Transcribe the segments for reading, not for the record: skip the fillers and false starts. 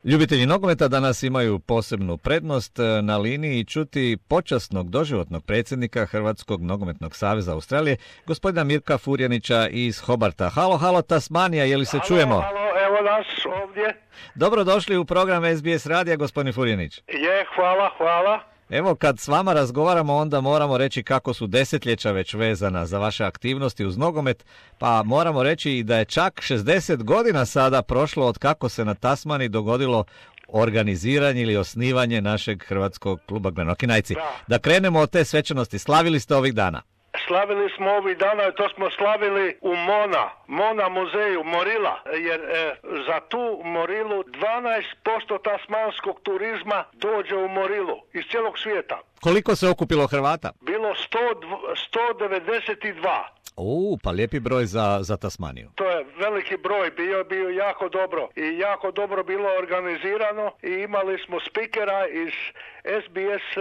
Ljubitelji nogometa danas imaju posebnu prednost na liniji čuti počasnog doživotnog predsjednika Hrvatskog nogometnog saveza Australije, gospodina Mirka Furjanića iz Hobarta. Halo, Tasmanija, je li se čujemo? Halo, evo nas ovdje. Dobrodošli u program SBS radija, gospodin Furjanić. Hvala. Evo, kad s vama razgovaramo, onda moramo reći kako su desetljeća već vezana za vaše aktivnosti uz nogomet, pa moramo reći i da je čak 60 godina sada prošlo od kako se na Tasmani dogodilo organiziranje ili osnivanje našeg hrvatskog kluba Glenokinajci. Da krenemo od te svečanosti. Slavili ste ovih dana? Slavili smo ovih dana i to smo slavili u Mona muzeju, Morila, jer za tu Morilu 12% tasmanskog turizma dođe u Morilu iz cijelog svijeta. Koliko se okupilo Hrvata? Bilo 192. Pa lijepi broj za Tasmaniju. To je veliki broj, bio jako dobro i jako dobro bilo organizirano i imali smo spikera iz SBS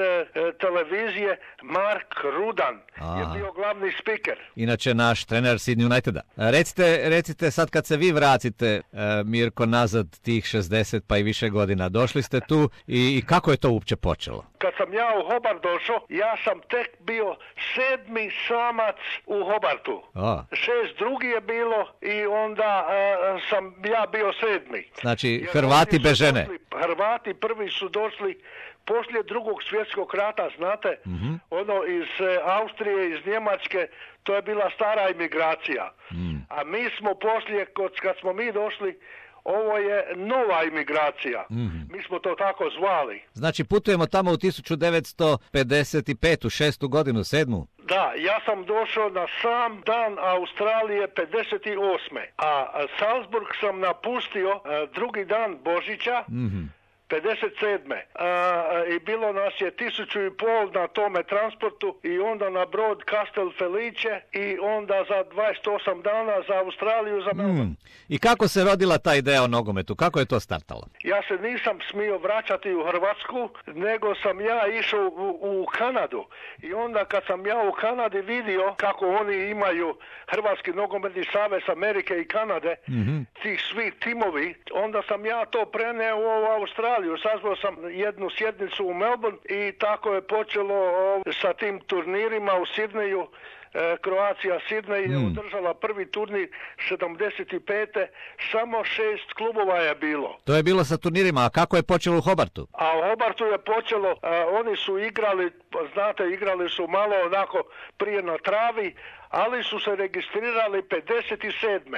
televizije, Mark Rudan je bio glavni spiker. Inače naš trener Sydney Uniteda. Recite sad kad se vi vratite, Mirko, nazad tih 60 pa i više godina, došli ste tu i kako je to uopće počelo? Kad sam ja u Hobart došao, ja sam tek bio 7. samac u Hobartu. 6 drugi je bilo i onda sam ja bio 7. Znači Hrvati bez žene. Hrvati prvi su došli poslije Drugog svjetskog rata, znate, ono iz Austrije, iz Njemačke, to je bila stara imigracija. A mi smo poslije, kad smo mi došli, ovo je nova imigracija. Mi smo to tako zvali. Znači putujemo tamo u 1955. 6. godinu, 7. Da, ja sam došao na sam dan Australije 58. A Salzburg sam napustio drugi dan Božića, 57. I bilo nas je 1500 na tome transportu i onda na brod Castel Felice i onda za 28 dana za Australiju, za Melbourne. I kako se rodila ta ideja o nogometu? Kako je to startalo? Ja se nisam smio vraćati u Hrvatsku, nego sam ja išao u Kanadu. I onda kad sam ja u Kanadi vidio kako oni imaju Hrvatski nogometni savez Amerike i Kanade, tih svih timovi, onda sam ja to preneo u Australiju. Sazvao sam jednu sjednicu u Melbourne i tako je počelo sa tim turnirima u Sidneju. Kroacija Sidney je održala prvi turnir 75. Samo 6 klubova je bilo. To je bilo sa turnirima, a kako je počelo u Hobartu? A u Hobartu je počelo, oni su igrali, znate, igrali su malo onako prije na travi, ali su se registrirali 57.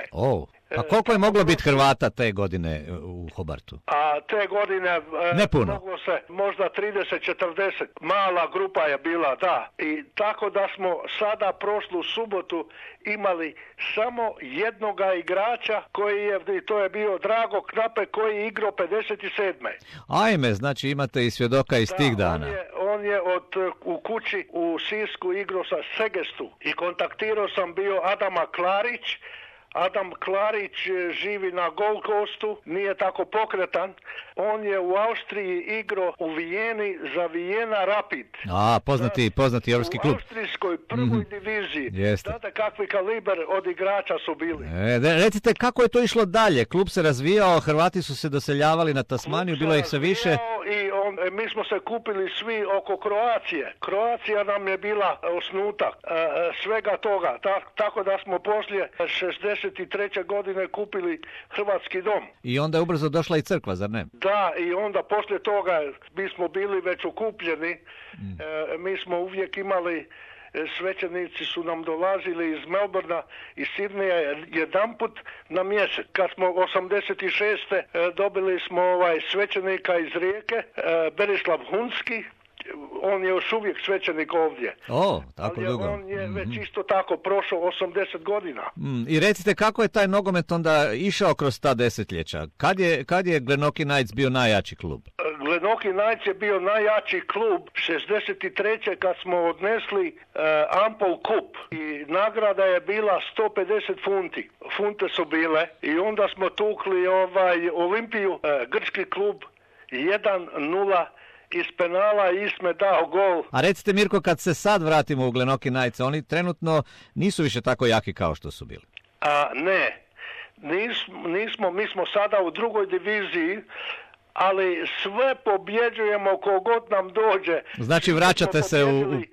A koliko je moglo biti Hrvata te godine u Hobartu? A te godine ne puno. Moglo se možda 30-40. Mala grupa je bila, da. I tako da smo sada prošlu subotu imali samo jednoga igrača i to je bio Drago Knape koji je igrao 57. Ajme, znači imate i svjedoka iz tih dana. On je u kući u Sisku igrao sa Segestu i kontaktirao sam bio Adama Klarić. Adam Klarić živi na Gold Coastu, nije tako pokretan. On je u Austriji igrao u Vijeni za Vijena Rapid. Poznati europski klub. U austrijskoj prvoj diviziji. Jeste. Znate kakvi kaliber od igrača su bili. Recite, kako je to išlo dalje? Klub se razvijao, Hrvati su se doseljavali na Tasmaniju, bilo ih sve više. I mi smo se kupili svi oko Kroacije. Kroacija nam je bila osnutak svega toga. Tako da smo poslije 63. godine kupili Hrvatski dom. I onda je ubrzo došla i crkva, zar ne? Da, i onda poslije toga mi smo bili već okupljeni. Mi smo uvijek imali, svećenici su nam dolazili iz Melbourna, iz Sidneja jedanput na mjesec. Kad smo 86. dobili smo svećenika iz Rijeke, Berislav Hunski. On je još uvijek svećenik ovdje. Tako dugo. On je već isto tako prošao 80 godina. I recite, kako je taj nogomet onda išao kroz ta desetljeća? Kad je Glenokinites bio najjači klub? Glenokinites je bio najjači klub 63. kad smo odnesli Ampol Cup i nagrada je bila 150 funti. Funte su bile i onda smo tukli Olimpiju, grčki klub 1-0 iz penala Isme dao gol. A recite, Mirko, kad se sad vratimo u Glenokinites, oni trenutno nisu više tako jaki kao što su bili. Ne, nismo, mi smo sada u drugoj diviziji, ali sve pobjeđujemo kogod nam dođe. Znači vraćate se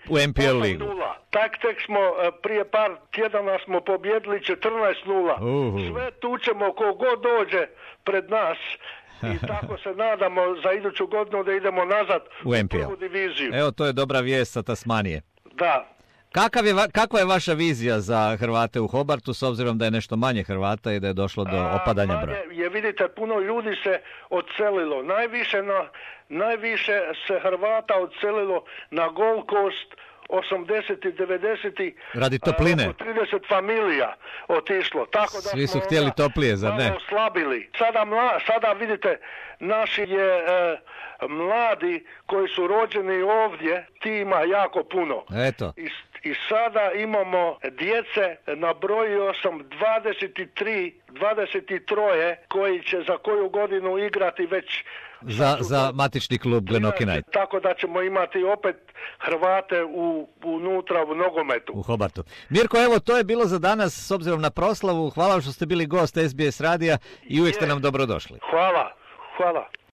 u MPL ligu. Tek smo prije par tjedana smo pobjedili 14-0. Sve tučemo kogod dođe pred nas. I tako se nadamo za iduću godinu da idemo nazad u prvu diviziju. Evo, to je dobra vijest sa Tasmanije. Da. Kakva je vaša vizija za Hrvate u Hobartu, s obzirom da je nešto manje Hrvata i da je došlo do opadanja broja? Vidite, puno ljudi se odselilo. Najviše se Hrvata odselilo na Gold Coast 80. i 90. Radi topline. 30 familija otišlo. Tako da svi su htjeli toplije, zar ne? Oslabili. Sada vidite, naši mladi koji su rođeni ovdje, ti ima jako puno. Eto. I sada imamo djece, nabrojio sam 23 koji će za koju godinu igrati već za matični klub Glenorchy. Tako da ćemo imati opet Hrvate unutra u nogometu. U Hobartu. Mirko, evo, to je bilo za danas s obzirom na proslavu. Hvala što ste bili gost SBS radija i uvijek ste nam dobrodošli. Hvala.